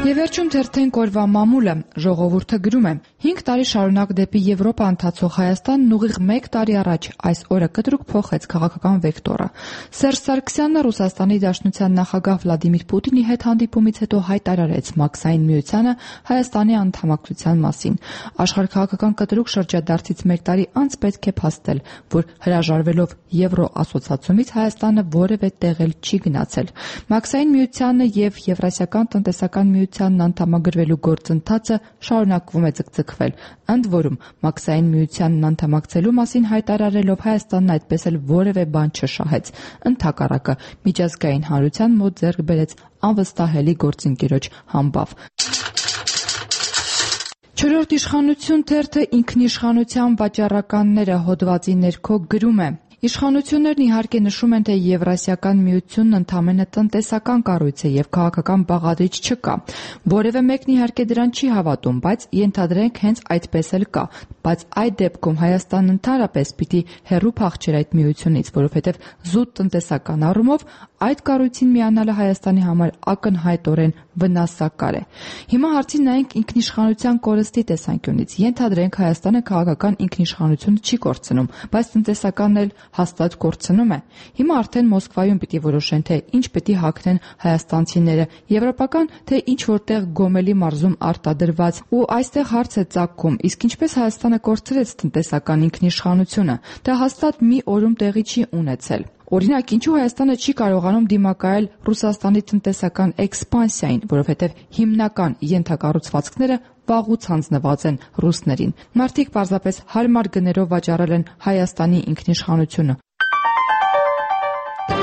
Եվ վերջում թերթենք օրվա մամուլը, ժողովուրդը գրում է. 5 տարի շարունակ դեպի Եվրոպա ընթացող Հայաստանն ուղիղ 1 տարի առաջ այս օրը կտրուկ փոխեց քաղաքական վեկտորը։ Սերժ Սարգսյանը Ռուսաստանի Դաշնության նախագահ Վլադիմիր Պուտինի հետ հանդիպումից հետո հայտարարեց Մաքսային միությանը Հայաստանի անդամակցության մասին։ Աշխարհաքաղաքական կտրուկ շրջադարձից 1 տարի անց պետք է փաստել, որ հրաժարվելով Եվրոասոցիացումից Հայաստանը որևէ տեղ էլ չի գնացել։ Մաքսային միությանը եւ Եվրասիական տնտեսական միությանն անդամագրվելու գործընթացը շարունակվում է ձգձգվել։ Ընդ որում, Մաքսային միությանն անդամակցելու մասին հայտարարելով Հայաստանն այդպես էլ որևէ բան չշահեց։ Ընդհակառակը, միջազգային հանրության մոտ ձեռք բերեց անվստահելի գործընկերոջ համբավ։ Չորրորդ իշխանություն թերթը ինքնիշխանության վաճառականները հոդվածի ներքո գրում է. Իշխանություններն իհարկե նշում են, թե Եվրասիական միությունն ընդամենը տնտեսական կառույց է եւ քաղաքական բաղադրիչ չկա։ Որևէ մեկն իհարկե դրան չի հավատում, բայց ենթադրենք հենց այդպես էլ կա։ Բայց այդ դեպքում Հայաստանն ընդհանրապես պիտի հեռու փախչեր այդ միությունից, որովհետեւ զուտ տնտեսական առումով այդ կառույցին միանալը Հայաստանի համար ակնհայտորեն վնասակար է։ Հիմա հարցին նայենք ինքնիշխանության կորստի տեսանկյունից։ Ենթադրենք Հայաստանը քաղաքական ինքնիշխանությունը չի կորցնում, բայց տնտեսականն էլ հաստատ կորցնում է։ Հիմա արդեն Մոսկվայում պիտի որոշեն, թե ինչ պիտի հագնեն հայաստանցիները, եվրոպական, թե ինչ որտեղ Գոմելի մարզում արտադրված։ Ու այստեղ հարց է ծագում, իսկ ինչպես Հայաստանը կորցրեց տնտեսական ինքնիշխանությունը։ Դա հաստատ մի օրում տեղի չի ունեցել։ Օրինակ, ինչու Հայաստանը չի կարողանում դիմակայել Ռուսաստանի տնտեսական էքսպանսիային, որովհետև հիմնական ենթակառուցվածքները վաղուց հանձնված են ռուսներին։ Մարդիկ պարզապես հարմար գներով վաճառել են Հայաստանի ինքնիշխանությունը,